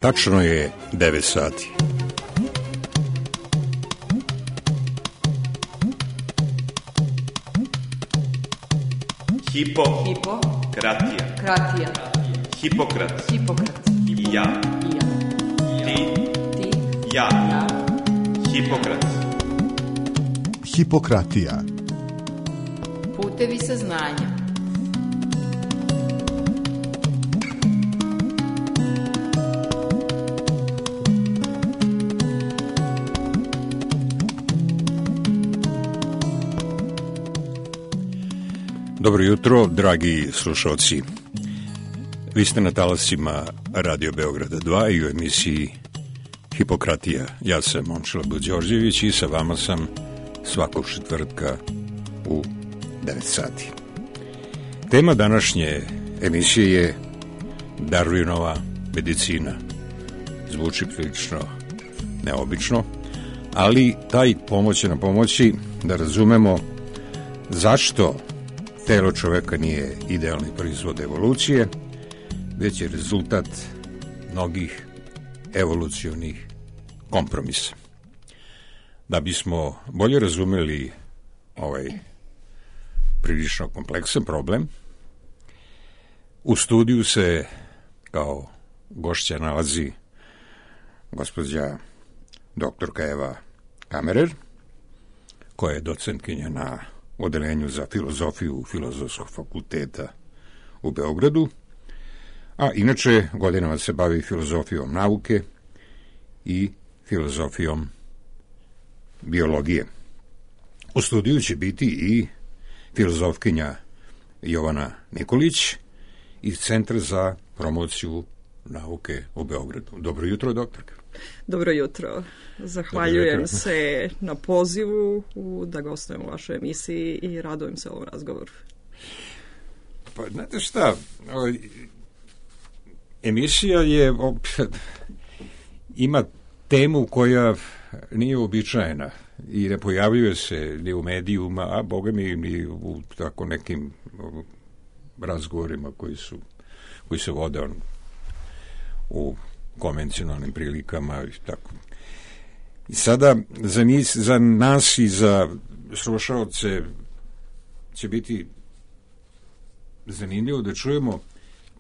Tačno je 9 sati. Hipokratija. Hipokrat. Ja. Ti. Ja. Hipokrat. Hipokratija. Putevi saznanja. Dobro jutro, dragi slušalci. Vi ste na talasima Radio Beograda 2 i u emisiji Hipokratija. Ja sam Momčilo Buđorđević i sa vama sam svakog četvrtka u 9 sati. Tema današnje emisije je Darwinova medicina. Zvuči prilično neobično, ali taj pomoć će nam pomoći da razumemo zašto telo čoveka nije idealni proizvod evolucije, već je rezultat mnogih evolucionih kompromisa. Da bismo bolje razumeli ovaj prilično kompleksan problem, u studiju se kao gošća nalazi gospođa doktorka Eva Kammerer, koja je docentkinja na Odeljenju za filozofiju Filozofskog fakulteta u Beogradu, a inače godinama se bavi filozofijom nauke i filozofijom biologije. U studiju će biti i filozofkinja Jovana Nikolić iz Centra za promociju nauke u Beogradu. Dobro jutro, doktorka. Dobro jutro. Zahvaljujem se na pozivu da gostujem u vašoj emisiji i radujem se ovom razgovoru. Pa, znate šta, emisija je ima temu koja nije uobičajena i ne pojavljuje se ni u medijima, a boga mi ni u tako nekim razgovorima koji se vode u konvencionalnim prilikama i tako. I sada za nas i za slušaoce će biti zanimljivo da čujemo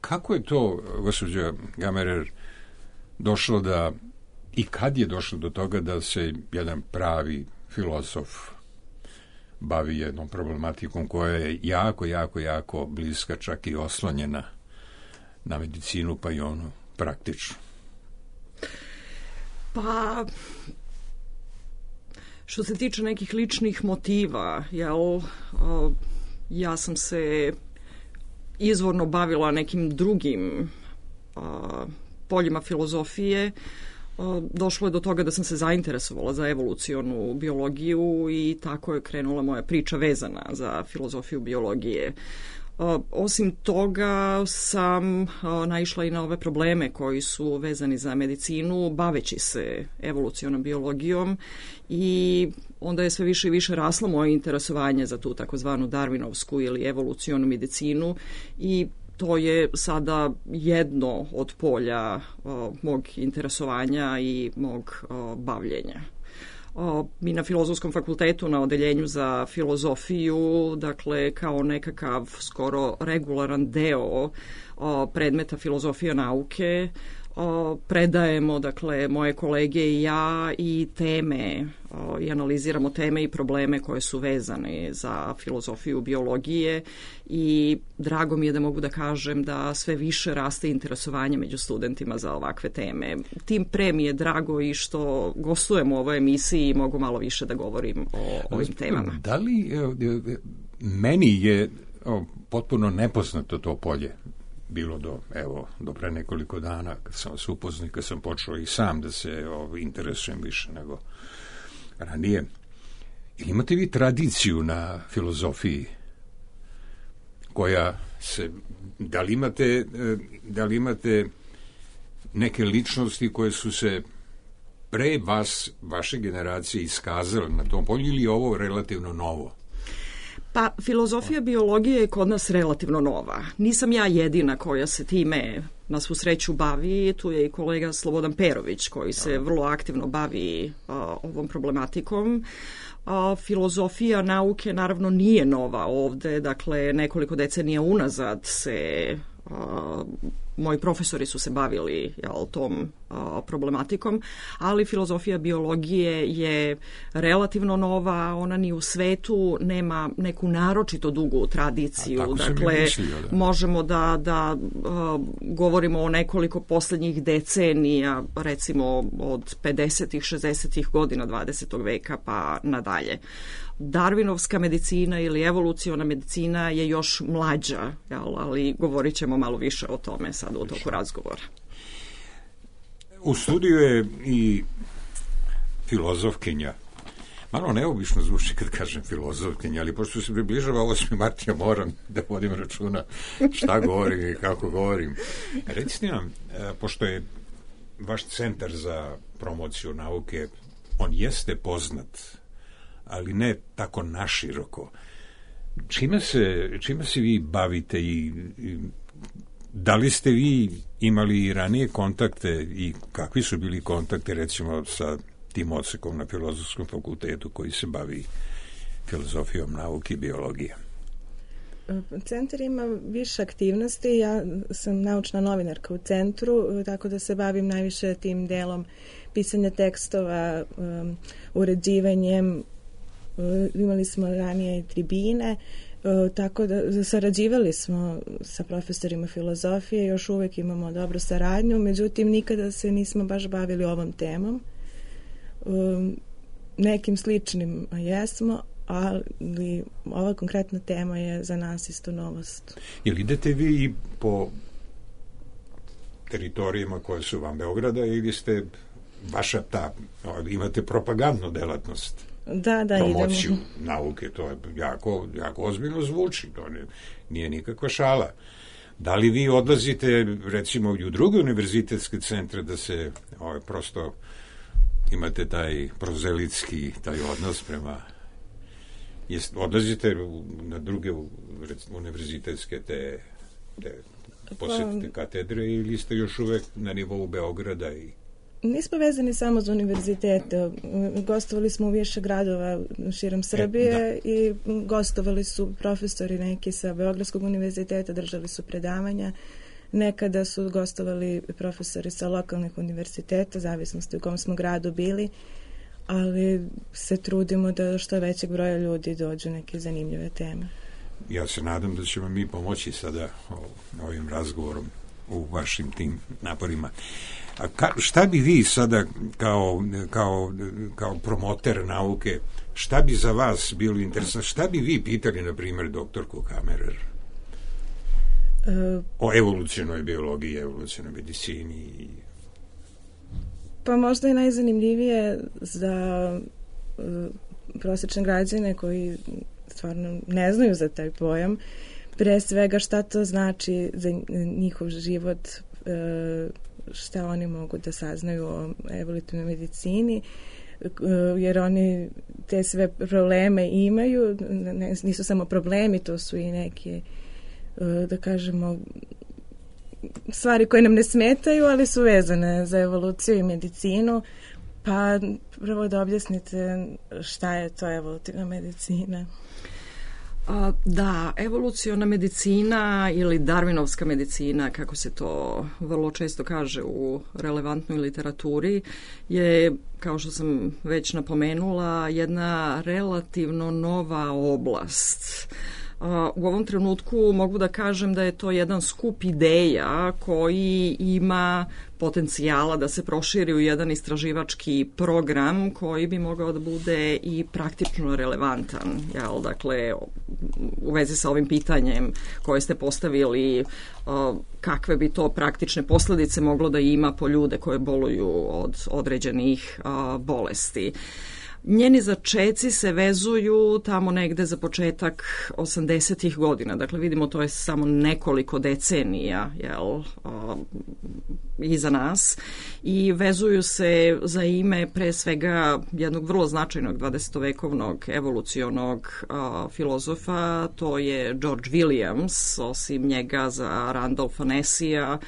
kako je to, gospođa Kammerer, došlo da i kad je došlo do toga da se jedan pravi filozof bavi jednom problematikom koja je jako bliska, čak i oslonjena na medicinu, pa i ono praktično. Pa, što se tiče nekih ličnih motiva, ja sam se izvorno bavila nekim drugim poljima filozofije. Došlo je do toga da sam se zainteresovala za evolucionu biologiju i tako je krenula moja priča vezana za filozofiju biologije. Osim toga sam naišla i na ove probleme koji su vezani za medicinu, baveći se evolucionom biologijom, i onda je sve više i više raslo moje interesovanje za tu takozvanu Darwinovsku ili evolucionu medicinu, i to je sada jedno od polja mog interesovanja i mog bavljenja. Mi na Filozofskom fakultetu na Odeljenju za filozofiju, dakle kao nekakav skoro regularan deo predmeta filozofija nauke, predajemo, dakle, moje kolege i ja, i teme i analiziramo teme i probleme koje su vezane za filozofiju biologije, i drago mi je da mogu da kažem da sve više raste interesovanje među studentima za ovakve teme. Tim pre mi je drago i što gostujem u ovoj emisiji i mogu malo više da govorim o ovim temama. Da li meni je potpuno nepoznato to polje bilo do pre nekoliko dana kad sam vas upoznao, kad sam počeo i sam da se interesujem više nego ranije. Imate vi tradiciju na filozofiji koja se, da li imate neke ličnosti koje su se pre vas, vaše generacije, iskazale na tom polju, ili je ovo relativno novo? Pa, filozofija biologije je kod nas relativno nova. Nisam ja jedina koja se time na svu sreću bavi, tu je i kolega Slobodan Perović koji se vrlo aktivno bavi ovom problematikom. Filozofija nauke naravno nije nova ovde, dakle nekoliko decenija unazad se moji profesori su se bavili tom problematikom, ali filozofija biologije je relativno nova, ona ni u svetu nema neku naročito dugu tradiciju. Dakle, možemo da govorimo o nekoliko poslednjih decenija, recimo od 50-ih, 60-ih godina 20. veka pa nadalje. Darwinovska medicina ili evoluciona medicina je još mlađa, ali govorit ćemo malo više o tome sad u toku razgovora. U studiju je i filozofkinja. Malo neobično zvuči kad kažem filozofkinja, ali pošto se približava 8. mart, ja moram da vodim računa šta govorim i kako govorim. Recite nam, pošto je vaš centar za promociju nauke, on jeste poznat, ali ne tako naširoko. Čime se vi bavite i da li ste vi imali ranije kontakte i kakvi su bili kontakte recimo sa tim odsekom na Filozofskom fakultetu koji se bavi filozofijom nauke i biologije? Centar ima više aktivnosti. Ja sam naučna novinarka u centru, tako da se bavim najviše tim delom pisanja tekstova, uređivanjem. Imali smo ranije i tribine, tako da sarađivali smo sa profesorima filozofije, još uvek imamo dobru saradnju, međutim nikada se nismo baš bavili ovom temom. Nekim sličnim jesmo, ali ova konkretna tema je za nas isto novost. Jel idete vi i po teritorijama koje su van Beograda ili ste vaša imate propagandnu delatnost? Da, promociju idemo. Nauke, to je jako ozbiljno zvuči, to nije nikakva šala. Da li vi odlazite recimo i u druge univerzitetske centre da se prosto imate taj prozelitski taj odnos prema odlazite na druge univerzitetske te posetite katedre ili ste još uvek na nivou Beograda i Nismo vezani samo za univerzitete. Gostovali smo u više gradova širom Srbije i gostovali su profesori neki sa Beogradskog univerziteta, držali su predavanja. Nekada su gostovali profesori sa lokalnih univerziteta, zavisnosti u kom smo gradu bili, ali se trudimo da što većeg broja ljudi dođu neke zanimljive teme. Ja se nadam da ćemo mi pomoći sada ovim razgovorom u vašim tim naporima. A šta bi vi sada kao promoter nauke, šta bi za vas bilo interesantno, šta bi vi pitali, na primjer, doktorku Kammerer o evolucionoj biologiji, evolucionoj medicini? Pa možda je najzanimljivije za prosječne građane koji stvarno ne znaju za taj pojam, pre svega šta to znači za njihov život, šta oni mogu da saznaju o evolutivnoj medicini, jer oni te sve probleme imaju, nisu samo problemi, to su i neke, da kažemo, stvari koje nam ne smetaju, ali su vezane za evoluciju i medicinu, pa prvo da objasnite šta je to evolutivna medicina. Da, evoluciona medicina ili darwinovska medicina, kako se to vrlo često kaže u relevantnoj literaturi, je, kao što sam već napomenula, jedna relativno nova oblast. U ovom trenutku mogu da kažem da je to jedan skup ideja koji ima potencijala da se proširi u jedan istraživački program koji bi mogao da bude i praktično relevantan. Dakle, u vezi sa ovim pitanjem koje ste postavili, kakve bi to praktične posledice moglo da ima po ljude koje boluju od određenih bolesti. Njeni začeci se vezuju tamo negde za početak 80-ih godina. Dakle, vidimo, to je samo nekoliko decenija iza nas i vezuju se za ime pre svega jednog vrlo značajnog 20-vekovnog evolucionog filozofa, to je George Williams, osim njega za Randolpha Nessija,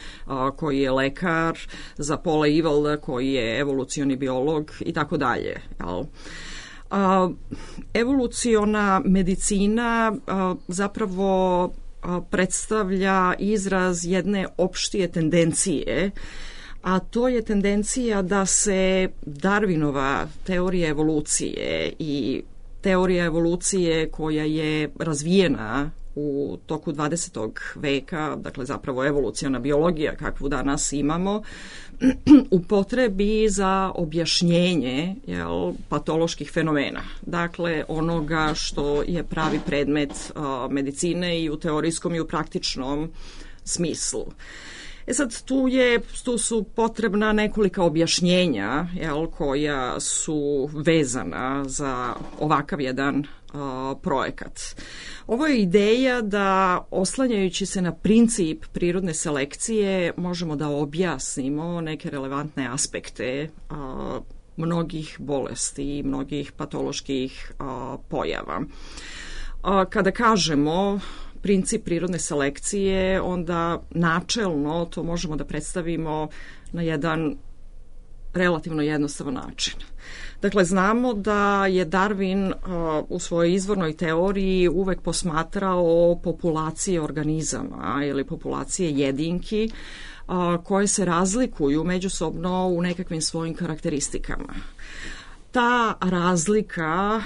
koji je lekar, za Paula Evalda, koji je evolucioni biolog i tako dalje. Evoluciona medicina zapravo predstavlja izraz jedne opštije tendencije, a to je tendencija da se Darwinova teorija evolucije i teorija evolucije koja je razvijena u toku 20. veka, dakle zapravo evoluciona biologija kakvu danas imamo, upotrebi za objašnjenje patoloških fenomena. Dakle, onoga što je pravi predmet medicine i u teorijskom i u praktičnom smislu. Sad, tu su potrebna nekolika objašnjenja koja su vezana za ovakav jedan projekat. Ovo je ideja da, oslanjajući se na princip prirodne selekcije, možemo da objasnimo neke relevantne aspekte mnogih bolesti i mnogih patoloških pojava. Kada kažemo princip prirodne selekcije, onda načelno to možemo da predstavimo na jedan relativno jednostavan način. Dakle, znamo da je Darwin u svojoj izvornoj teoriji uvek posmatrao populacije organizama ili populacije jedinki koje se razlikuju međusobno u nekakvim svojim karakteristikama. Ta razlika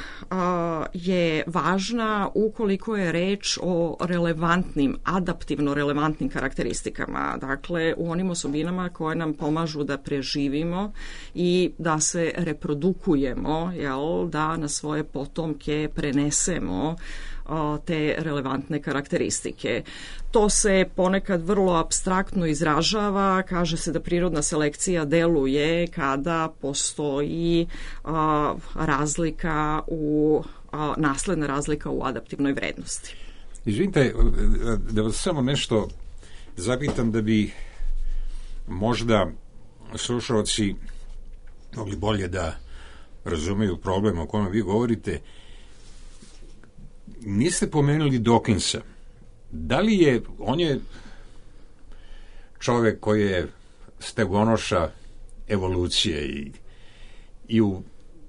je važna ukoliko je reč o relevantnim, adaptivno relevantnim karakteristikama, dakle u onim osobinama koje nam pomažu da preživimo i da se reprodukujemo, da na svoje potomke prenesemo te relevantne karakteristike. To se ponekad vrlo apstraktno izražava, kaže se da prirodna selekcija deluje kada postoji nasledna razlika u adaptivnoj vrednosti. Izvinite, da vas samo nešto zapitam da bi možda slušalci mogli bolje da razumeju problem o kojem vi govorite. Niste pomenuli Dawkinsa. Da li je, on je čovek koji je stegonoša evolucije i u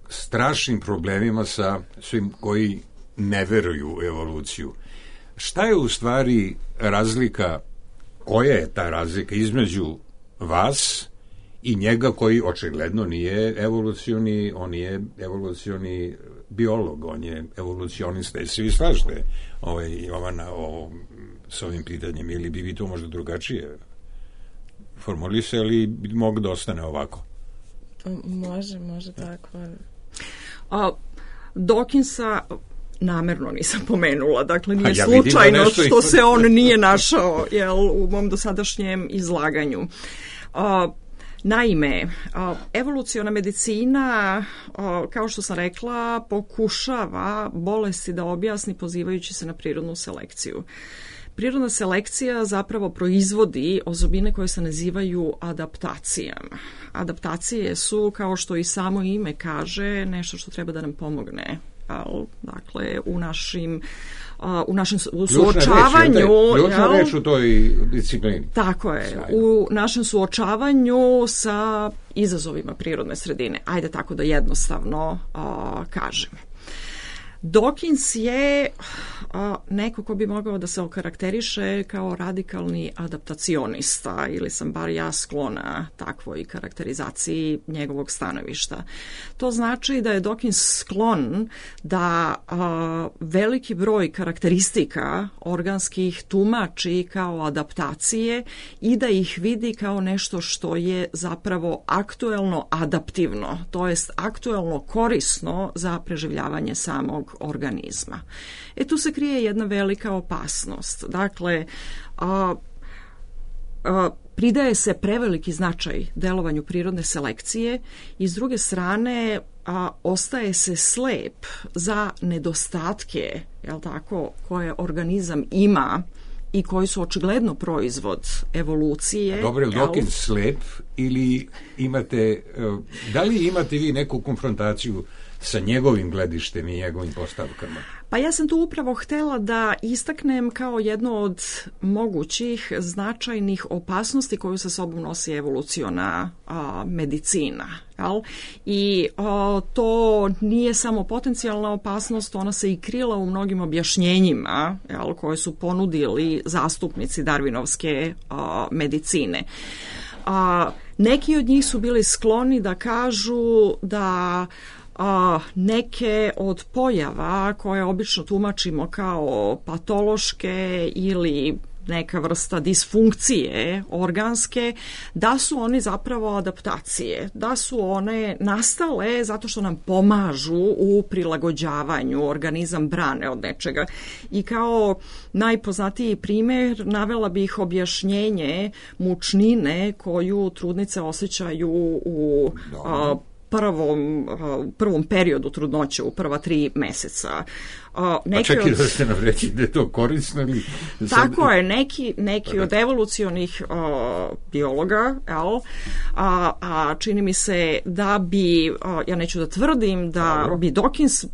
strašnim problemima sa svim koji ne veruju u evoluciju. Šta je u stvari razlika, koja je ta razlika između vas i njega koji očigledno nije evolucioni, on je evolucioni biolog, on je evolucionista. Jesi vi slažete Jovana s ovim pitanjem ili bi vi to možda drugačije formulisali, bi moglo da ostane ovako? Može tako. Dawkinsa namerno nisam pomenula, dakle nije slučajno što se on nije našao u mom dosadašnjem izlaganju. Naime, evoluciona medicina, kao što sam rekla, pokušava bolesti da objasni pozivajući se na prirodnu selekciju. Prirodna selekcija zapravo proizvodi osobine koje se nazivaju adaptacijama. Adaptacije su, kao što i samo ime kaže, nešto što treba da nam pomogne. Dakle, u našem suočavanju... Ključna reč u toj disciplini. Tako je. U našem suočavanju sa izazovima prirodne sredine. Ajde tako da jednostavno kažem. Dawkins je neko ko bi mogao da se okarakteriše kao radikalni adaptacionista, ili sam bar ja sklona takvoj karakterizaciji njegovog stanovišta. To znači da je Dawkins sklon da veliki broj karakteristika organskih tumači kao adaptacije i da ih vidi kao nešto što je zapravo aktuelno adaptivno, to jest aktuelno korisno za preživljavanje samog organizma. Tu se krije jedna velika opasnost. Dakle, pridaje se preveliki značaj delovanju prirodne selekcije i s druge strane ostaje se slep za nedostatke, jel tako, koje organizam ima i koji su očigledno proizvod evolucije. Dobro, je Dawkins slep ili imate, da li imate vi neku konfrontaciju sa njegovim gledištem i njegovim postavkama? Pa ja sam tu upravo htela da istaknem kao jedno od mogućih značajnih opasnosti koju sa sobom nosi evoluciona medicina. Jel? I to nije samo potencijalna opasnost, ona se i krila u mnogim objašnjenjima, jel, koje su ponudili zastupnici darvinovske medicine. Neki od njih su bili skloni da kažu da neke od pojava koje obično tumačimo kao patološke ili neka vrsta disfunkcije organske, da su oni zapravo adaptacije, da su one nastale zato što nam pomažu u prilagođavanju, organizam brane od nečega. I kao najpoznatiji primjer navela bih objašnjenje mučnine koju trudnice osjećaju u prvom periodu trudnoće, u prva 3 meseca. Pa čekaj da ste nam reći da je to korisno ili... Tako je, neki od evolucionih biologa, čini mi se da bi, ja neću da tvrdim da bi Dawkins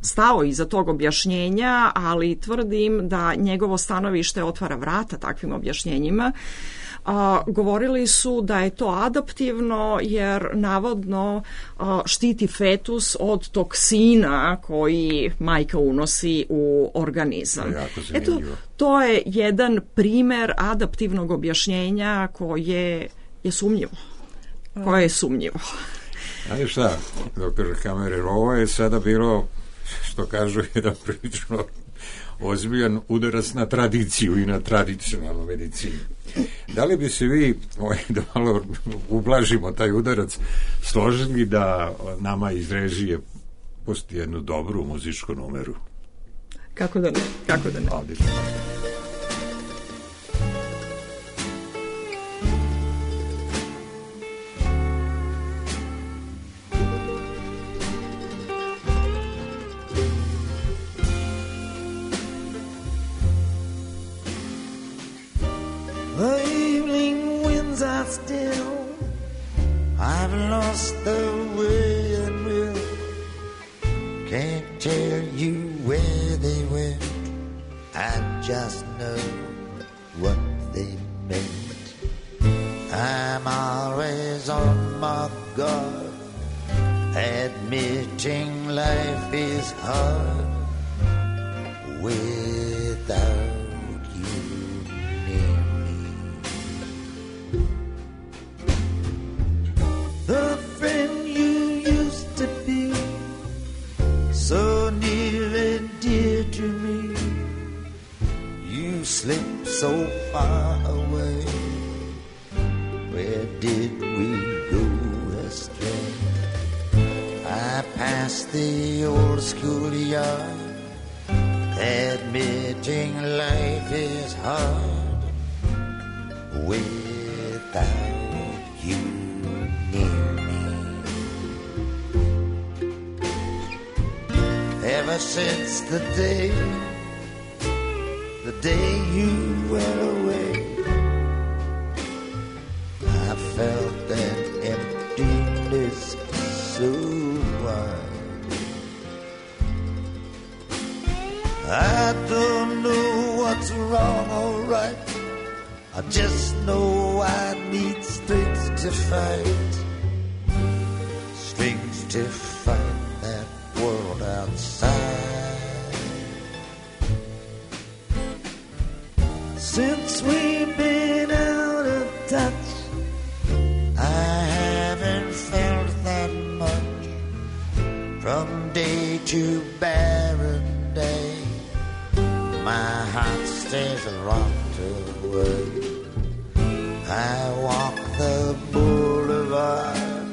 stao iza tog objašnjenja, ali tvrdim da njegovo stanovište otvara vrata takvim objašnjenjima. Govorili su da je to adaptivno jer navodno štiti fetus od toksina koji majka unosi u organizam. Eto, to je jedan primer adaptivnog objašnjenja koje je sumnjivo. Znate šta, doktor Kammerer, ovo je sada bilo, što kažu, jedan prilično ozbiljan udarac na tradiciju i na tradicionalnu medicinu. Da li bi se vi, da malo ublažimo taj udarac, složili da nama iz režije pusti jednu dobru muzičku numeru? Kako da ne? Odlično. The evening winds are still. I've lost the way and will. Can't tell you where they went. I just know what they meant. I'm always on my guard, admitting life is hard without the friend you used to be, so near and dear to me. You slipped so far away. Where did we go astray? I passed the old schoolyard, admitting life is hard without you near me. Ever since the day you went away, I felt that emptiness so wide. I don't know what's wrong or right, I just know I need strength to fight, strength to fight that world outside. Since we've been out of touch, I haven't felt that much. From day to barren day, my heart stays locked away. I walk the boulevard,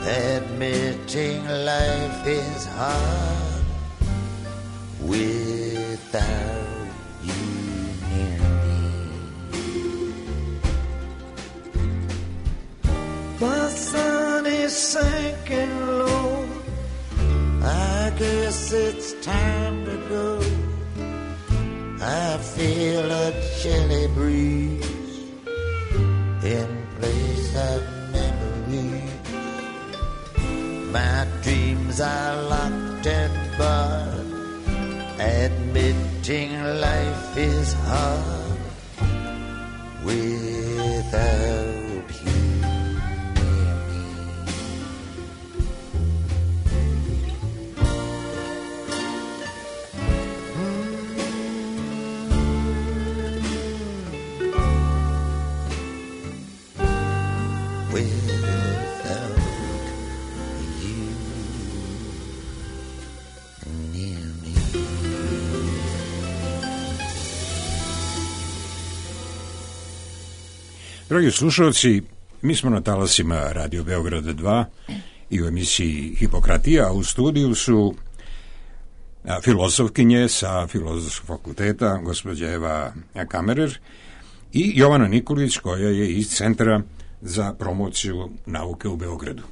admitting life is hard without you near me. The sun is is sinking low. I guess it's time to go. I feel a chilly breeze in place of memories. My dreams are locked and barred, admitting life is hard without you near me. Without you near me. Dragi slušalci, mi smo na talasima Radio Beograda 2 i u emisiji Hipokratija, a u studiju su filozofkinje sa Filozofskog fakulteta, gospođa Eva Kamerer i Jovana Nikolić, koja je iz Centra za promociju nauke u Beogradu.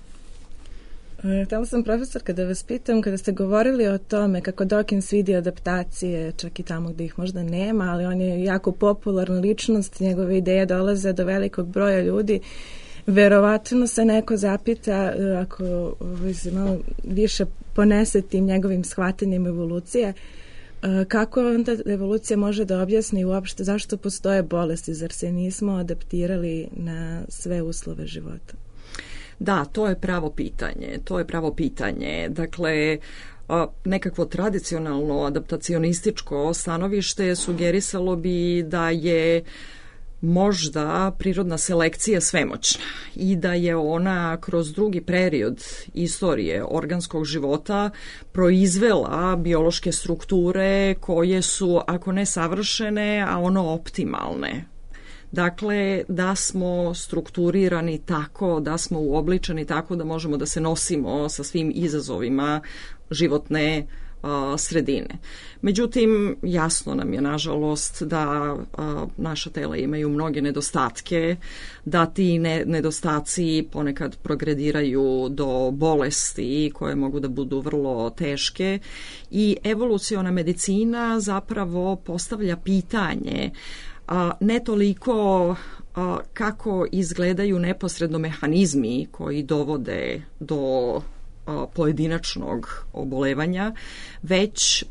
Htjela sam, profesorka, da vas pitam, kada ste govorili o tome kako Dawkins vidi adaptacije, čak i tamo gdje ih možda nema, ali on je jako popularna ličnost, njegove ideje dolaze do velikog broja ljudi, verovatno se neko zapita, ako se malo više ponese tim njegovim shvatanjem evolucije, kako onda evolucija može da objasni uopšte zašto postoje bolesti, zar se nismo adaptirali na sve uslove života? Da, to je pravo pitanje. Dakle, nekakvo tradicionalno adaptacionističko stanovište sugerisalo bi da je možda prirodna selekcija svemoćna i da je ona kroz drugi period istorije organskog života proizvela biološke strukture koje su, ako ne savršene, a ono optimalne. Dakle, da smo strukturirani tako, da smo uobličeni tako da možemo da se nosimo sa svim izazovima životne sredine. Međutim, jasno nam je, nažalost, da naša tela imaju mnoge nedostatke, da ti nedostaci ponekad progrediraju do bolesti koje mogu da budu vrlo teške i evoluciona medicina zapravo postavlja pitanje ne toliko kako izgledaju neposredno mehanizmi koji dovode do pojedinačnog obolevanja, već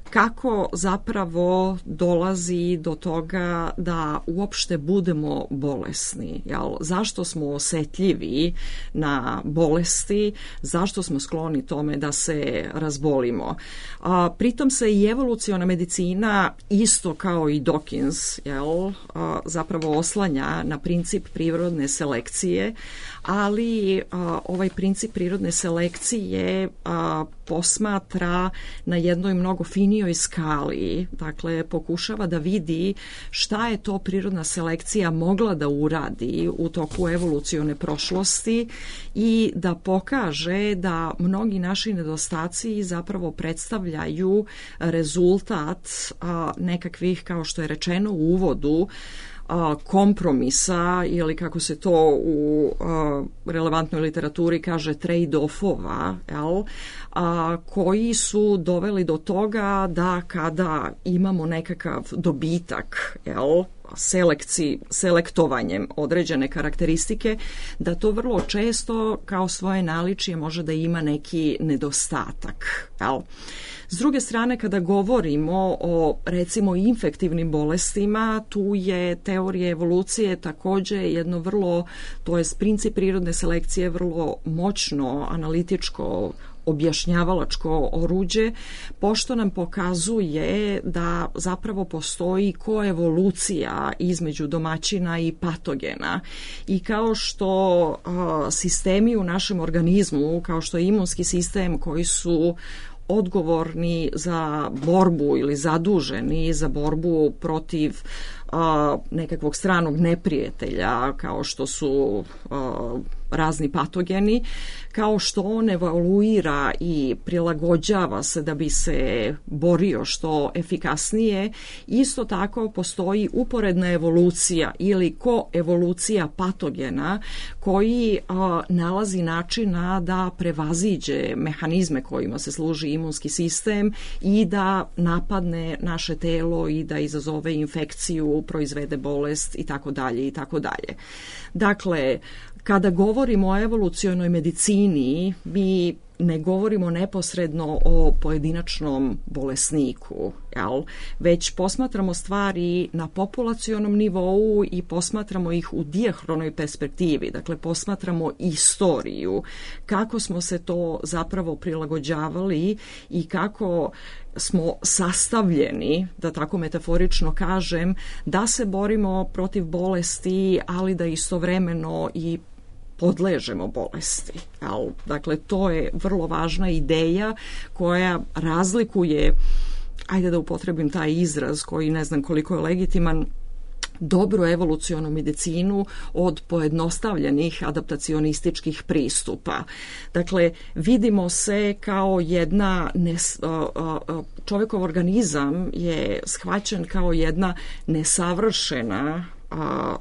kako zapravo dolazi do toga da uopšte budemo bolesni. Jel? Zašto smo osetljivi na bolesti, zašto smo skloni tome da se razbolimo. Pritom se i evoluciona medicina, isto kao i Dawkins, zapravo oslanja na princip prirodne selekcije, ali ovaj princip prirodne selekcije posmatra na jednoj mnogo finijoj skali, dakle pokušava da vidi šta je to prirodna selekcija mogla da uradi u toku evolucione prošlosti i da pokaže da mnogi naši nedostaci zapravo predstavljaju rezultat nekakvih, kao što je rečeno u uvodu, kompromisa ili kako se to u relevantnoj literaturi kaže trade-offova, koji su doveli do toga da kada imamo nekakav dobitak, selektovanjem određene karakteristike, da to vrlo često kao svoje naličje može da ima neki nedostatak. S druge strane, kada govorimo o recimo infektivnim bolestima, tu je teorija evolucije također jedno vrlo, to je princip prirodne selekcije, vrlo moćno analitičko objašnjavalačko oruđe, pošto nam pokazuje da zapravo postoji koevolucija između domaćina i patogena. I kao što sistemi u našem organizmu, kao što je imunski sistem koji su odgovorni za borbu ili zaduženi za borbu protiv nekakvog stranog neprijatelja, kao što su razni patogeni, kao što on evoluira i prilagođava se da bi se borio što efikasnije, isto tako postoji uporedna evolucija ili koevolucija patogena koji nalazi načina da prevaziđe mehanizme kojima se služi imunski sistem i da napadne naše telo i da izazove infekciju, proizvede bolest i tako dalje i tako dalje. Dakle, kada govorimo o evolucionoj medicini, mi ne govorimo neposredno o pojedinačnom bolesniku, već posmatramo stvari na populacionom nivou i posmatramo ih u dijahronoj perspektivi, dakle posmatramo istoriju, kako smo se to zapravo prilagođavali i kako smo sastavljeni, da tako metaforično kažem, da se borimo protiv bolesti, ali da istovremeno i podležemo bolesti. Dakle, to je vrlo važna ideja koja razlikuje, ajde da upotrebim taj izraz koji ne znam koliko je legitiman, dobru evolucionu medicinu od pojednostavljenih adaptacionističkih pristupa. Dakle, vidimo se kao čovjekov organizam je shvaćen kao jedna nesavršena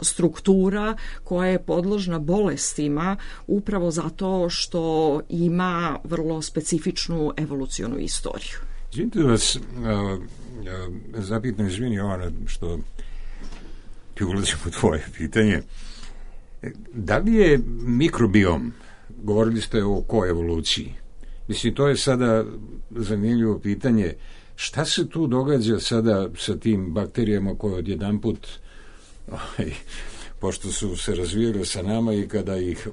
struktura koja je podložna bolestima upravo zato što ima vrlo specifičnu evolucionu istoriju. Izvinite vas, zapitam, izvini Jovana, što ti ulazim u tvoje pitanje. Da li je mikrobiom, govorili ste o koevoluciji, mislim, to je sada zanimljivo pitanje, šta se tu događa sada sa tim bakterijama koje odjedanput pošto su se razvijali sa nama i kada ih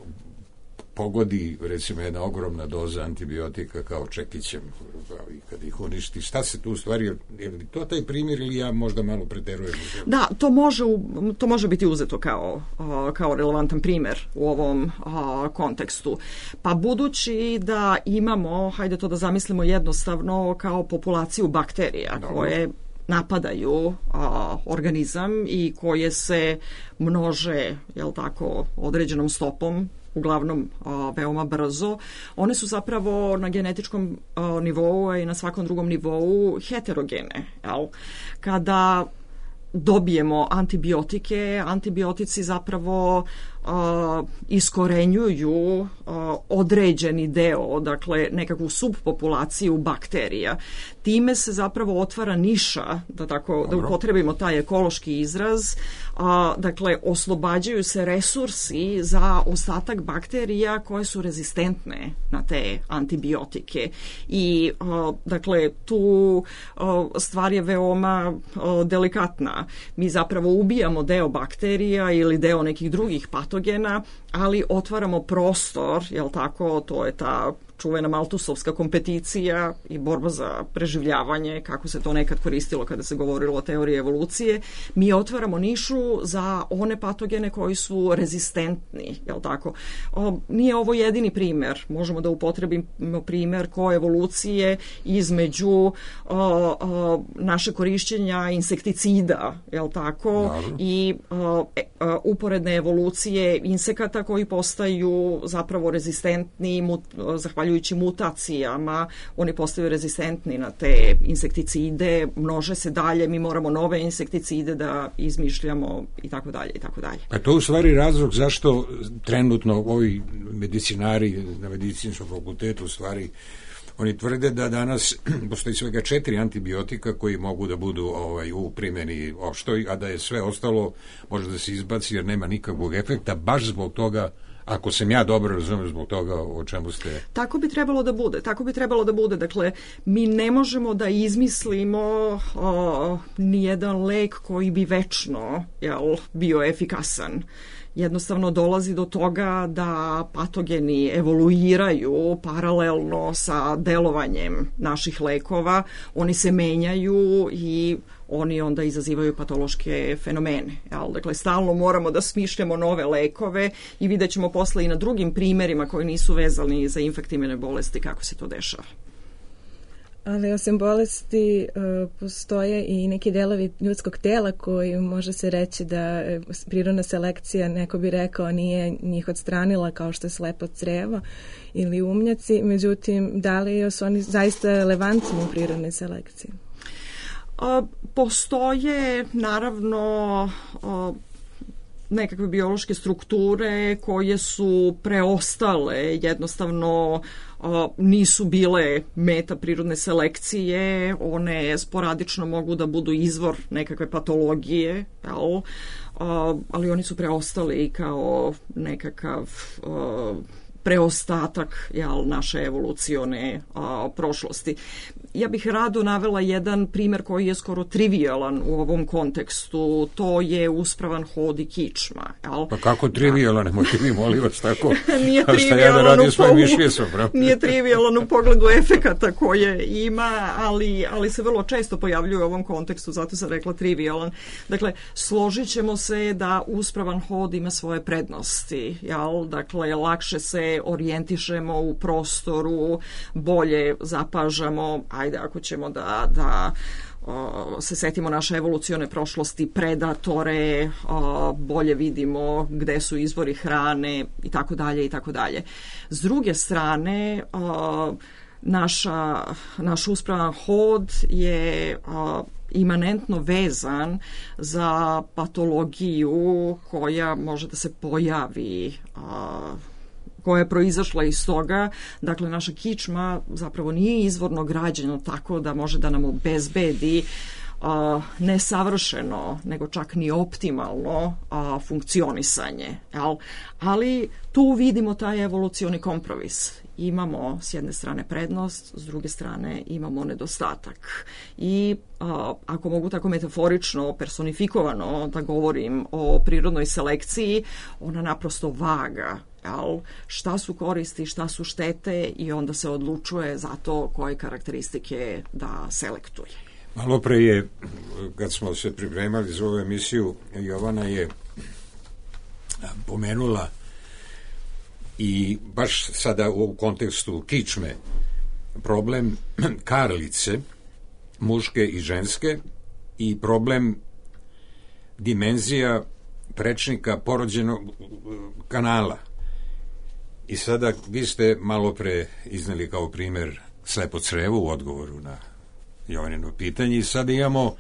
pogodi recimo jedna ogromna doza antibiotika kao čekićem i kada ih uništi, šta se tu u stvari, je li to taj primjer ili ja možda malo preterujem? Da, to može biti uzeto kao relevantan primjer u ovom kontekstu. Pa budući da imamo, hajde to da zamislimo jednostavno, kao populaciju bakterija koje napadaju organizam i koje se množe, jel tako, određenom stopom, uglavnom veoma brzo. One su zapravo na genetičkom nivou i na svakom drugom nivou heterogene. Jel? Kada dobijemo antibiotike, antibiotici zapravo iskorenjuju određeni deo, dakle nekakvu subpopulaciju bakterija. Time se zapravo otvara niša, da upotrebimo taj ekološki izraz, dakle oslobađaju se resursi za ostatak bakterija koje su rezistentne na te antibiotike. I dakle tu stvar je veoma delikatna. Mi zapravo ubijamo deo bakterija ili deo nekih drugih patogena, ali otvaramo prostor, jel tako, to je ta čuvena maltusovska kompeticija i borba za preživljavanje, kako se to nekad koristilo kada se govorilo o teoriji evolucije. Mi otvaramo nišu za one patogene koji su rezistentni, jel tako. Nije ovo jedini primjer. Možemo da upotrebimo primjer koevolucije između naše korišćenja insekticida, jel tako, i uporedne evolucije insekata koji postaju zapravo rezistentni zahvaljujući mutacijama, oni postaju rezistentni na te insekticide, množe se dalje, mi moramo nove insekticide da izmišljamo i tako dalje i tako dalje. A to u stvari razlog zašto trenutno ovi medicinari na medicinskom fakultetu u stvari oni tvrde da danas postoji svega 4 antibiotika koji mogu da budu u primjeni opštoj, a da je sve ostalo može da se izbaci jer nema nikakvog efekta, baš zbog toga, ako sam ja dobro razumio, zbog toga o čemu ste... Tako bi trebalo da bude. Dakle, mi ne možemo da izmislimo nijedan lek koji bi večno bio efikasan. Jednostavno dolazi do toga da patogeni evoluiraju paralelno sa delovanjem naših lekova, oni se menjaju i oni onda izazivaju patološke fenomene. Dakle, stalno moramo da smišljamo nove lekove i vidjet ćemo posle i na drugim primjerima koji nisu vezani za infektivne bolesti kako se to dešava. Ali osim bolesti postoje i neki delovi ljudskog tela koji može se reći da prirodna selekcija, neko bi rekao, nije njih odstranila, kao što je slepo crevo ili umnjaci. Međutim, da li su oni zaista relevantni u prirodnoj selekciji? Postoje naravno nekakve biološke strukture koje su preostale, jednostavno nisu bile meta prirodne selekcije, one sporadično mogu da budu izvor nekakve patologije, jel? Ali oni su preostali kao nekakav preostatak, jel, naše evolucione prošlosti. Ja bih rado navela jedan primer koji je skoro trivialan u ovom kontekstu. To je uspravan hod i kičma. Jel? Pa kako trivialan? Nemojte mi, molim vas, tako. Nije šta ja da radim svojim mišljesom, nije trivialan u pogledu efekata koje ima, ali se vrlo često pojavljuje u ovom kontekstu, zato sam rekla trivialan. Dakle, složit ćemo se da uspravan hod ima svoje prednosti. Jel? Dakle, lakše se orijentišemo u prostoru, bolje zapažamo, ajde ako ćemo da se setimo naše evolucione prošlosti, predatore, bolje vidimo gde su izvori hrane i tako dalje i tako dalje. S druge strane, naš uspravan hod je imanentno vezan za patologiju koja može da se pojavi, koja je proizašla iz toga. Dakle, naša kičma zapravo nije izvorno građeno tako da može da nam obezbedi ne savršeno, nego čak ni optimalno funkcionisanje. Jel? Ali tu vidimo taj evolucioni kompromis. Imamo s jedne strane prednost, s druge strane imamo nedostatak. I ako mogu tako metaforično, personifikovano da govorim o prirodnoj selekciji, ona naprosto vaga. Jel? Šta su koristi, šta su štete i onda se odlučuje za to koje karakteristike da selektuje. Malo pre je, kad smo se pripremali za ovu emisiju, Jovana je pomenula i baš sada u kontekstu kičme problem karlice, muške i ženske, i problem dimenzija prečnika porođenog kanala. I sada vi ste malo pre izneli kao primer slepo crevo u odgovoru na Jovanino pitanje i sada imamo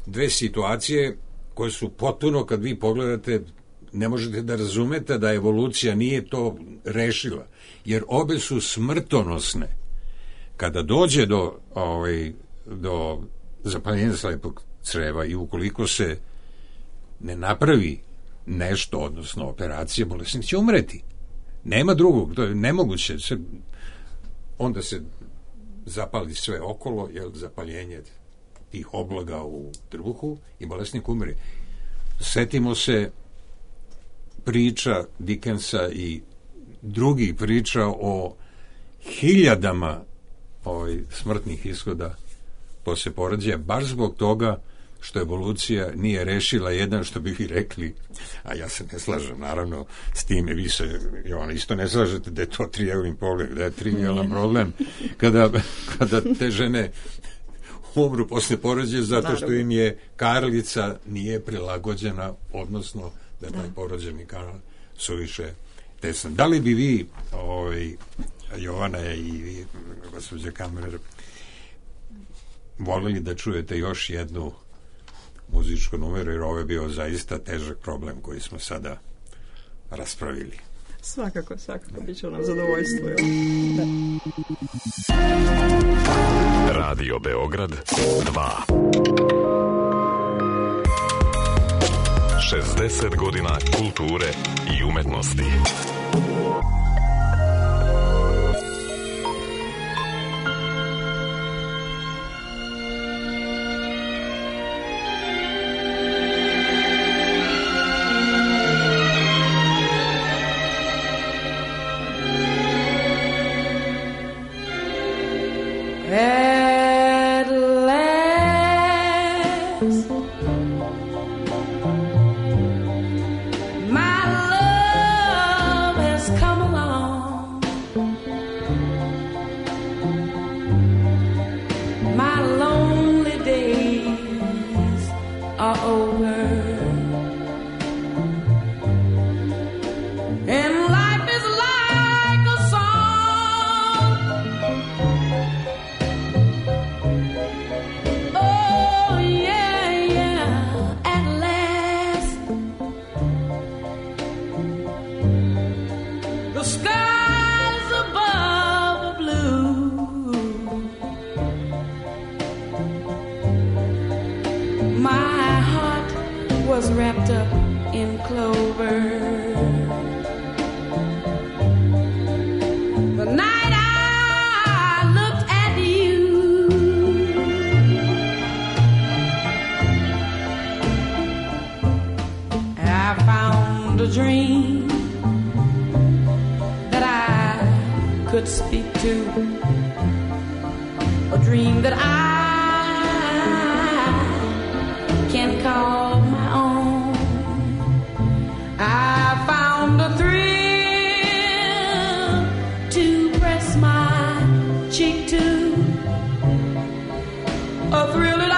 dve situacije koje su potpuno, kad vi pogledate, ne možete da razumete da evolucija nije to rešila, jer obe su smrtonosne. Kada dođe do zapaljenja slepog creva i ukoliko se ne napravi nešto, odnosno operacija, bolesnik će umreti. Nema drugog, to je nemoguće. Onda se zapali sve okolo, jer zapaljenje tih oblaga u trbuhu i bolesnik umre. Setimo se priča Dickensa i drugih priča o hiljadama smrtnih ishoda posle porođaja, baš zbog toga što evolucija nije rešila jedan, što bi vi rekli, a ja se ne slažem naravno s time, vi se isto ne slažete da je to trivialan problem, da je trivialan problem kada te žene umru posle porođaja zato što im je karlica nije prilagođena, odnosno da je taj porođeni kanal suviše tesan. Da li bi vi, Jovana i gospođa Kammerer, voljeli da čujete još jednu muzičku numeru, jer ovo je bio zaista težak problem koji smo sada raspravili. Svakako, bit će nam zadovoljstvo. Da. Radio Beograd 2. 60 godina kulture i umetnosti. At last, my love has come alive. skies above are blue. My heart was wrapped up in clover. The night I looked at you, I found a dream that I could speak to, a dream that I can call my own. I found a thrill to press my cheek to, a thrill that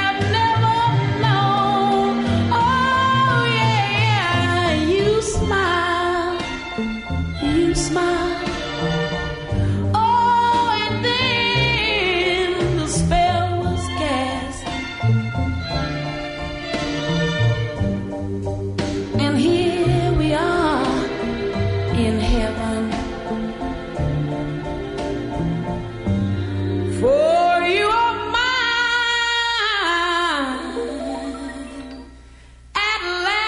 I've never known. Oh yeah, you smile, you smile. Oh, and then the spell was cast, and here we are in heaven. For you are mine at last.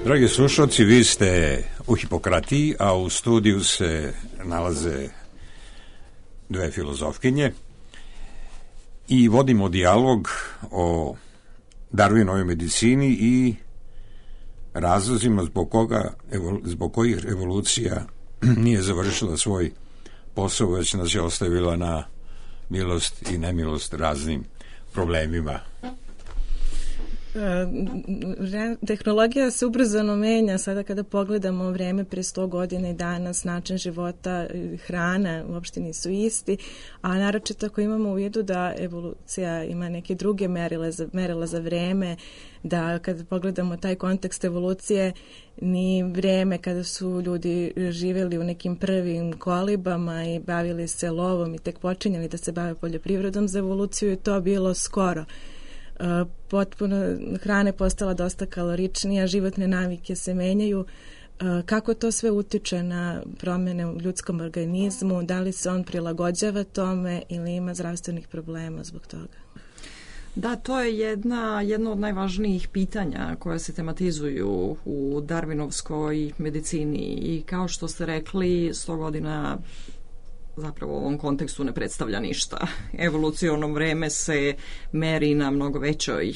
Dragi slušalci, vi ste u Hipokratiji, a u studiju se nalaze dve filozofkinje i vodimo dijalog o Darwinovoj medicini i razlozima zbog kojih evolucija nije završila svoj posao, već nas je ostavila na milost i nemilost raznim problemima. Tehnologija se ubrzano menja. Sada kada pogledamo vreme pre 100 godina i danas, način života, hrana uopšte nisu isti, a naročito ako imamo u vidu da evolucija ima neke druge merila za vreme, da kada pogledamo taj kontekst evolucije, ni vreme kada su ljudi živjeli u nekim prvim kolibama i bavili se lovom i tek počinjali da se bave poljoprivredom, za evoluciju je to bilo skoro. Potpuno hrana je postala dosta kaloričnija, životne navike se menjaju. Kako to sve utiče na promjene u ljudskom organizmu? Da li se on prilagođava tome ili ima zdravstvenih problema zbog toga? Da, to je jedno od najvažnijih pitanja koja se tematizuju u Darwinovskoj medicini i kao što ste rekli, 100 godina zapravo u ovom kontekstu ne predstavlja ništa. Evoluciono vreme se meri na mnogo većoj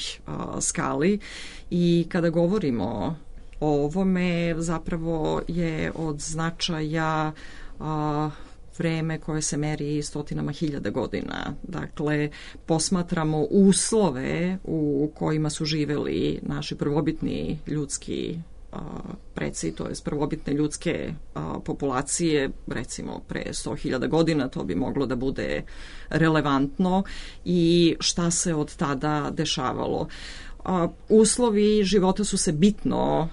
skali i kada govorimo o ovome, zapravo je od značaja vreme koje se meri stotinama hiljada godina. Dakle, posmatramo uslove u kojima su živeli naši prvobitni ljudski preci, to je prvobitne ljudske populacije, recimo pre 100.000 godina, to bi moglo da bude relevantno i šta se od tada dešavalo. Uslovi života su se bitno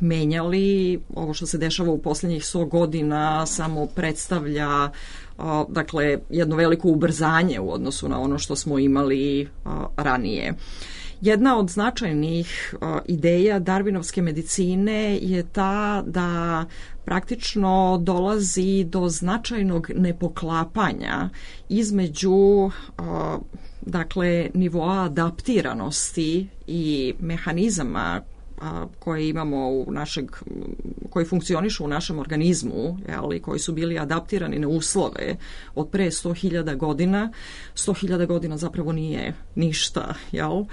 menjali. Ovo što se dešava u posljednjih 100 godina samo predstavlja dakle jedno veliko ubrzanje u odnosu na ono što smo imali ranije. Jedna od značajnih ideja Darwinovske medicine je ta da praktično dolazi do značajnog nepoklapanja između dakle nivoa adaptiranosti i mehanizama koje imamo koji funkcionišu u našem organizmu, ali koji su bili adaptirani na uslove od pre 100.000 godina. 100.000 godina zapravo nije ništa, jel?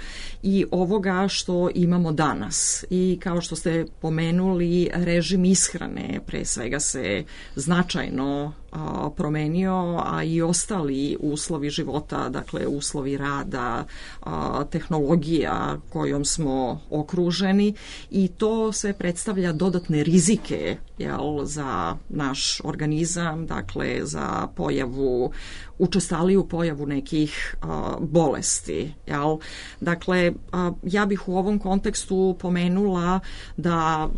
I ovoga što imamo danas. I kao što ste pomenuli, režim ishrane pre svega se značajno promenio, a i ostali uslovi života, dakle uslovi rada, tehnologija kojom smo okruženi, i to sve predstavlja dodatne rizike, jel, za naš organizam, dakle za učestaliju pojavu nekih bolesti. Jel? Dakle, ja bih u ovom kontekstu pomenula da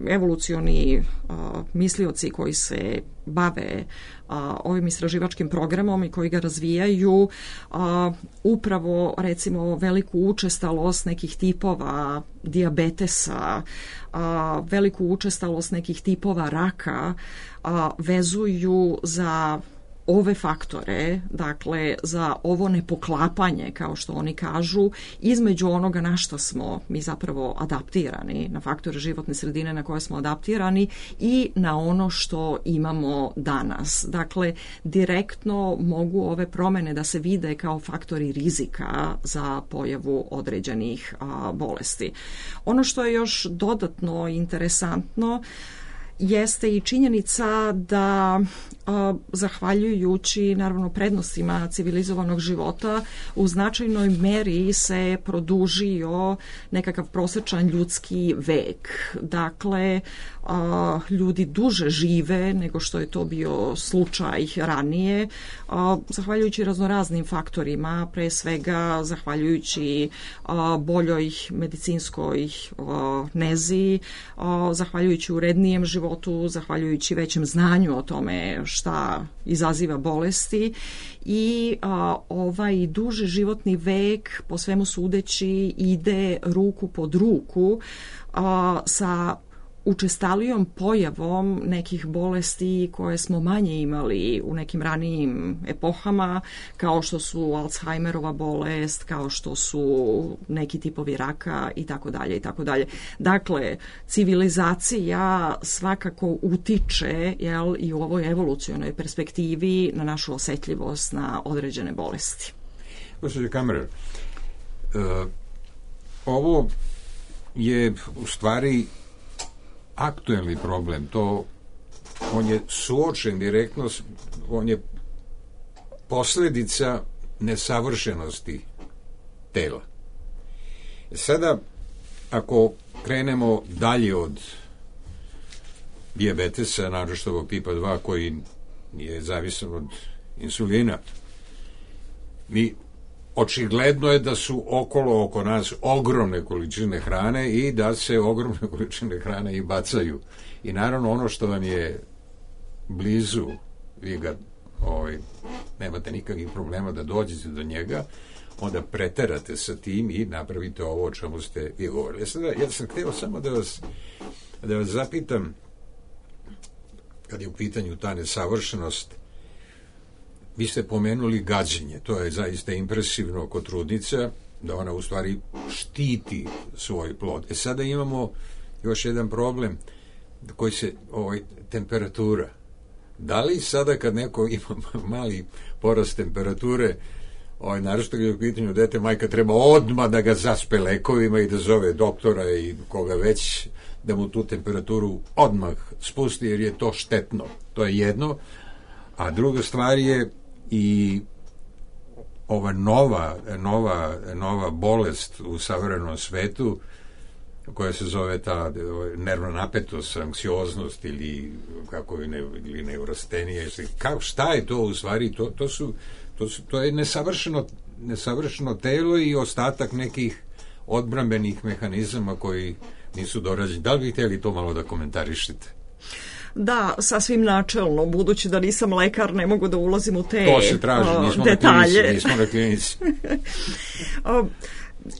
evolucioni mislioci koji se bave ovim istraživačkim programom i koji ga razvijaju upravo recimo veliku učestalost nekih tipova dijabetesa, veliku učestalost nekih tipova raka vezuju za ove faktore, dakle za ovo nepoklapanje, kao što oni kažu, između onoga na što smo mi zapravo adaptirani, na faktore životne sredine na koje smo adaptirani i na ono što imamo danas. Dakle, direktno mogu ove promene da se vide kao faktori rizika za pojavu određenih bolesti. Ono što je još dodatno interesantno jeste i činjenica da zahvaljujući naravno prednostima civilizovanog života u značajnoj meri se produžio nekakav prosječan ljudski vek. Dakle, ljudi duže žive nego što je to bio slučaj ranije, zahvaljujući raznoraznim faktorima, pre svega zahvaljujući boljoj medicinskoj nezi, zahvaljujući urednijem životu, zahvaljujući većem znanju o tome šta izaziva bolesti i ovaj duži životni vek po svemu sudeći ide ruku pod ruku sa učestalijom pojavom nekih bolesti koje smo manje imali u nekim ranijim epohama, kao što su Alzheimerova bolest, kao što su neki tipovi raka i tako dalje i tako dalje. Dakle, civilizacija svakako utiče, jel, i u ovoj evolucionoj perspektivi na našu osetljivost na određene bolesti. Gospođo Kammerer, ovo je u stvari aktuelni problem, on je suočen direktno, on je posljedica nesavršenosti tela. Sada, ako krenemo dalje od dijabetesa, naročito ovog tipa 2 koji je zavisan od insulina, očigledno je da su oko nas ogromne količine hrane i da se ogromne količine hrane i bacaju. I naravno ono što vam je blizu, vi ga nemate nikakvih problema da dođete do njega, onda preterate sa tim i napravite ovo o čemu ste i govorili. Ja sam htio samo da vas zapitam, kad je u pitanju ta nesavršenost, vi ste pomenuli gađenje, to je zaista impresivno kod trudnica, da ona u stvari štiti svoj plod. Sada imamo još jedan problem koji se, temperatura. Da li sada kad neko ima mali porast temperature, naročito kad je u pitanju dete, majka treba odmah da ga zaspe lekovima i da zove doktora i koga već, da mu tu temperaturu odmah spusti, jer je to štetno. To je jedno. A druga stvar je i ova nova bolest u savremenom svetu, koja se zove ta nervna napetost, anksioznost ili kako ili neurostenija. Šta je to u stvari? To je nesavršeno telo i ostatak nekih odbrambenih mehanizama koji nisu dorađeni. Da li bi htjeli to malo da komentarišete? Da, sasvim načelno, budući da nisam lekar, ne mogu da ulazim u te to se traži, detalje. Nismo na klinici.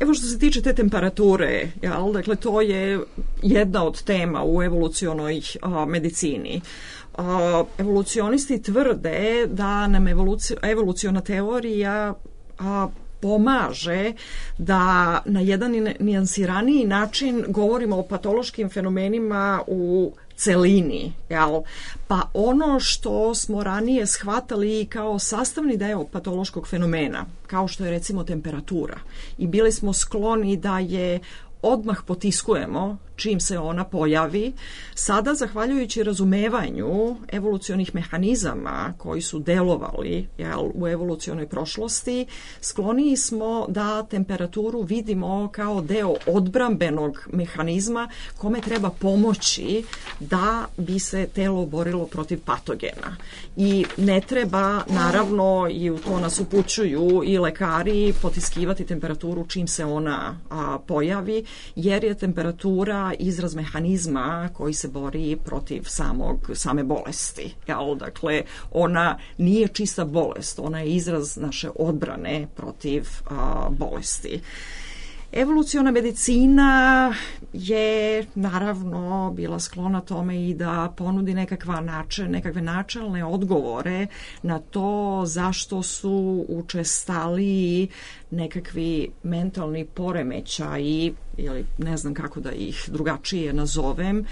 Evo što se tiče te temperature, jel? Dakle, to je jedna od tema u evolucionoj medicini. Evolucionisti tvrde da nam evoluciona teorija pomaže da na jedan nijansiraniji način govorimo o patološkim fenomenima u celini, jel? Pa ono što smo ranije shvatali kao sastavni deo patološkog fenomena, kao što je recimo temperatura, i bili smo skloni da je odmah potiskujemo čim se ona pojavi. Sada, zahvaljujući razumevanju evolucionih mehanizama koji su delovali u evolucionoj prošlosti, skloniji smo da temperaturu vidimo kao deo odbrambenog mehanizma kome treba pomoći da bi se telo borilo protiv patogena. I ne treba, naravno, i u to nas upućuju i lekari, potiskivati temperaturu čim se ona pojavi, jer je temperatura izraz mehanizma koji se bori protiv same bolesti. Dakle, ona nije čista bolest, ona je izraz naše odbrane protiv bolesti. Evoluciona medicina je naravno bila sklona tome i da ponudi nekakve načelne odgovore na to zašto su učestaliji nekakvi mentalni poremećaji, ili ne znam kako da ih drugačije nazovem,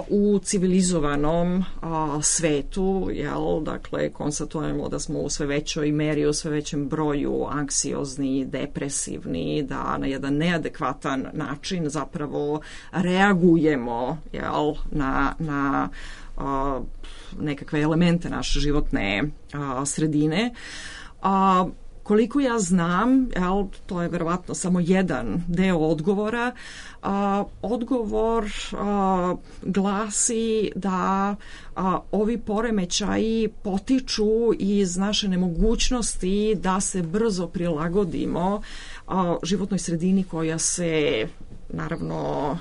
u civilizovanom svetu. Dakle, konstatujemo da smo u sve većoj meri, u sve većem broju anksiozni, depresivni, da na jedan neadekvatan način zapravo reagujemo na nekakve elemente naše životne sredine. Koliko ja znam, to je verovatno samo jedan deo odgovora, odgovor glasi da ovi poremećaji potiču iz naše nemogućnosti da se brzo prilagodimo životnoj sredini koja se naravno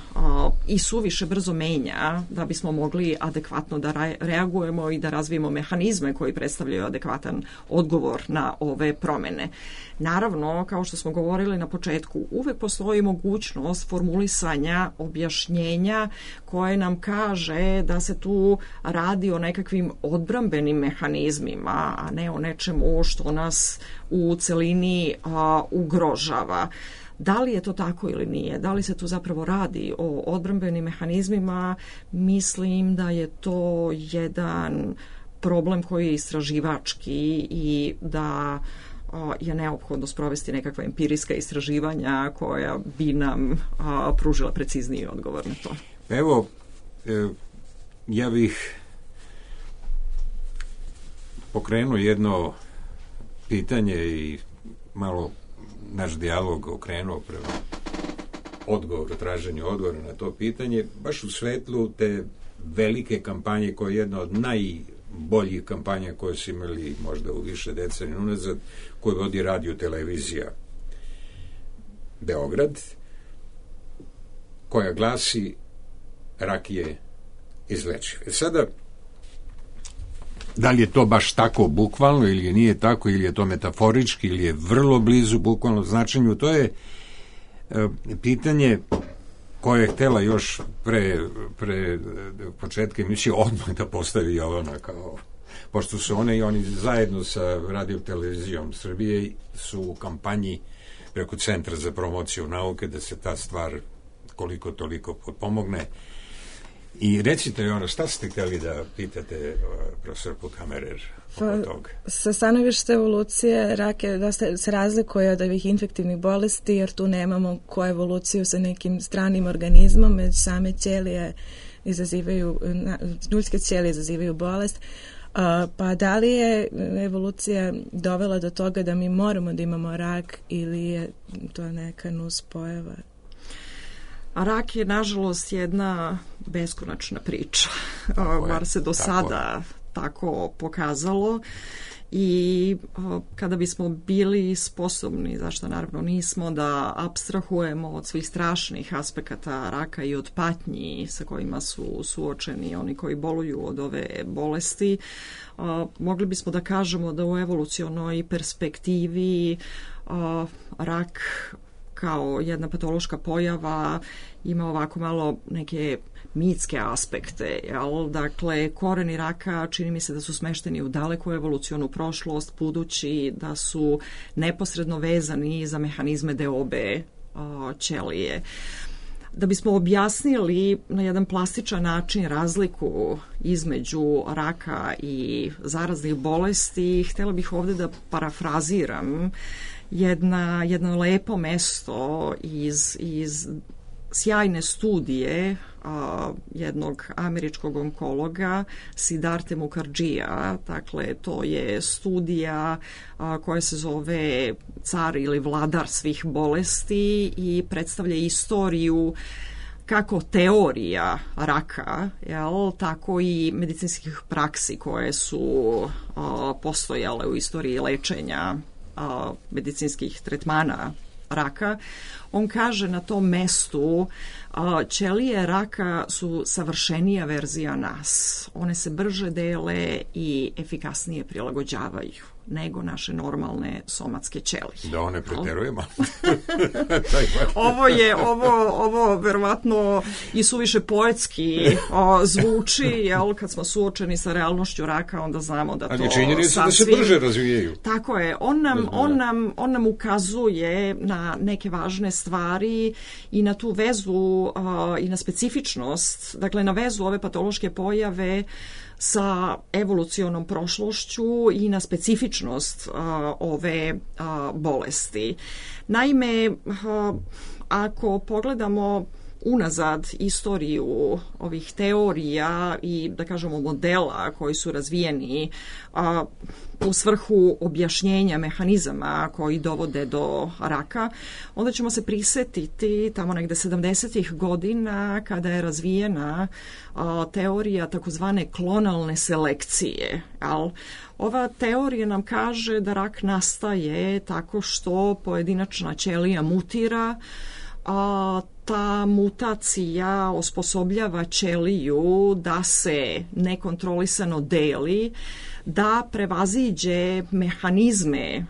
i suviše brzo menja da bismo mogli adekvatno da reagujemo i da razvijemo mehanizme koji predstavljaju adekvatan odgovor na ove promene. Naravno, kao što smo govorili na početku, uvek postoji mogućnost formulisanja objašnjenja koje nam kaže da se tu radi o nekakvim odbrambenim mehanizmima, a ne o nečemu što nas u celini ugrožava. Da li je to tako ili nije? Da li se tu zapravo radi o odbrambenim mehanizmima? Mislim da je to jedan problem koji je istraživački i da je neophodno sprovesti nekakva empirijska istraživanja koja bi nam pružila precizniji odgovor na to. Evo, ja bih pokrenuo jedno pitanje i malo naš dijalog okrenuo prema traženju odgovora na to pitanje, baš u svetlu te velike kampanje koja je jedna od najboljih kampanja koje su imali možda u više decenija unazad, koju vodi radio televizija Beograd, koja glasi rak je izlečiv. Sada, da li je to baš tako bukvalno ili nije tako, ili je to metaforički, ili je vrlo blizu bukvalno značenju, to je pitanje koje je htjela još pre početka emisije odmah da postavi Jovana, kao, pošto su one i oni zajedno sa Radio televizijom Srbije su u kampanji preko Centra za promociju nauke da se ta stvar koliko toliko potpomogne. I recite, šta ste htjeli da pitate profesor Pukamerer oko toga? Sa stanovišta evolucije rak je da se razlikuje od ovih infektivnih bolesti, jer tu nemamo koevoluciju sa nekim stranim organizmom, već same ćelije izazivaju, ljudske ćelije izazivaju bolest. Pa da li je evolucija dovela do toga da mi moramo da imamo rak ili je to neka nuspojava? A rak je, nažalost, jedna beskonačna priča. Bar se do sada tako pokazalo. I kada bismo bili sposobni, zašto naravno nismo, da apstrahujemo od svih strašnih aspekata raka i od patnji sa kojima su suočeni oni koji boluju od ove bolesti, mogli bismo da kažemo da u evolucionoj perspektivi rak kao jedna patološka pojava ima ovako malo neke mitske aspekte. Dakle, koreni raka čini mi se da su smešteni u daleku evolucionu prošlost, budući da su neposredno vezani za mehanizme deobe ćelije. Da bismo objasnili na jedan plastičan način razliku između raka i zaraznih bolesti, htjela bih ovdje da parafraziram jedno lepo mesto iz sjajne studije jednog američkog onkologa Siddharte Mukherjeeja. Dakle, to je studija koja se zove Car ili vladar svih bolesti i predstavlja istoriju kako teorija raka, tako i medicinskih praksi koje su postojale u istoriji lečenja medicinskih tretmana raka. On kaže na tom mestu ćelije raka su savršenija verzija nas. One se brže dele i efikasnije prilagođavaju nego naše normalne somatske ćelije. Da one preterujemo. Ovo verovatno i suviše poetski zvuči, kad smo suočeni sa realnošću raka, onda znamo da to ali činjenica da se brže razvijaju. Tako je. On nam ukazuje na neke važne stvari i na tu vezu i na specifičnost, dakle na vezu ove patološke pojave sa evolucionom prošlošću i na specifičnost ove bolesti. Naime, ako pogledamo unazad istoriju ovih teorija i, da kažemo, modela koji su razvijeni u svrhu objašnjenja mehanizama koji dovode do raka, onda ćemo se prisetiti tamo negde 70-ih godina kada je razvijena teorija takozvane klonalne selekcije. Ova teorija nam kaže da rak nastaje tako što pojedinačna ćelija mutira, ta mutacija osposobljava ćeliju da se nekontrolisano deli, da prevaziđe mehanizme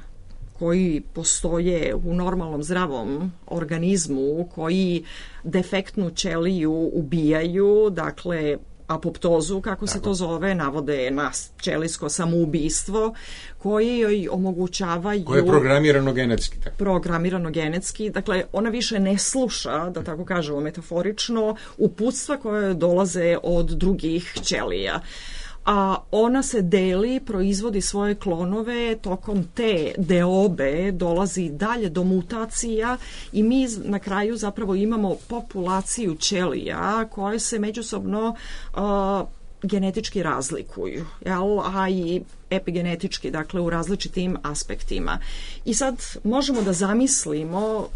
koji postoje u normalnom zdravom organizmu, koji defektnu ćeliju ubijaju, dakle apoptozu, kako se to zove, navode na ćelijsko samoubistvo, koje joj omogućavaju... Koje je programirano genetski. Programirano genetski, dakle ona više ne sluša, da tako kažemo metaforično, uputstva koje dolaze od drugih ćelija. A ona se deli, proizvodi svoje klonove, tokom te deobe dolazi dalje do mutacija i mi na kraju zapravo imamo populaciju ćelija koje se međusobno genetički razlikuju, a i epigenetički, dakle u različitim aspektima. I sad možemo da zamislimo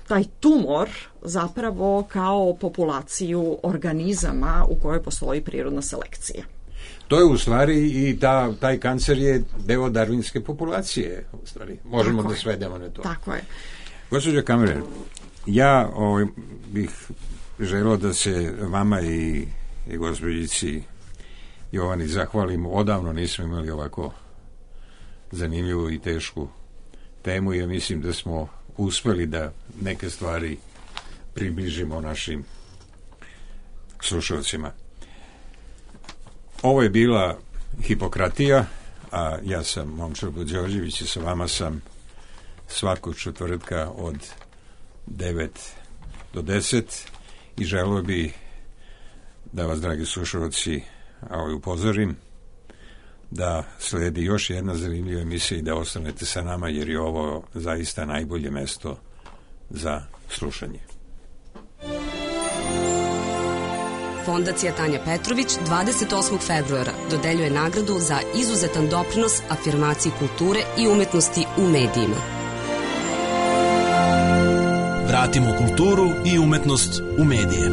taj tumor zapravo kao populaciju organizama u kojoj postoji prirodna selekcija. To je u stvari i taj kancer je deo darwinske populacije, u stvari. Možemo da svedemo na to. Tako je. Gospođo Kamrer, ja bih želeo da se vama i gospođici Jovani zahvalim. Odavno nismo imali ovako zanimljivu i tešku temu i ja mislim da smo uspeli da neke stvari približimo našim slušalcima. Ovo je bila Hipokratija, a ja sam Momčilo Đorđević i sa vama sam svakog četvrtka od 9 do 10 i želeo bi da vas, dragi slušalci, upozorim da sledi još jedna zanimljiva emisija i da ostanete sa nama, jer je ovo zaista najbolje mesto za slušanje. Fondacija Tanja Petrović 28. februara dodeljuje nagradu za izuzetan doprinos afirmaciji kulture i umetnosti u medijima. Vratimo kulturu i umetnost u medije.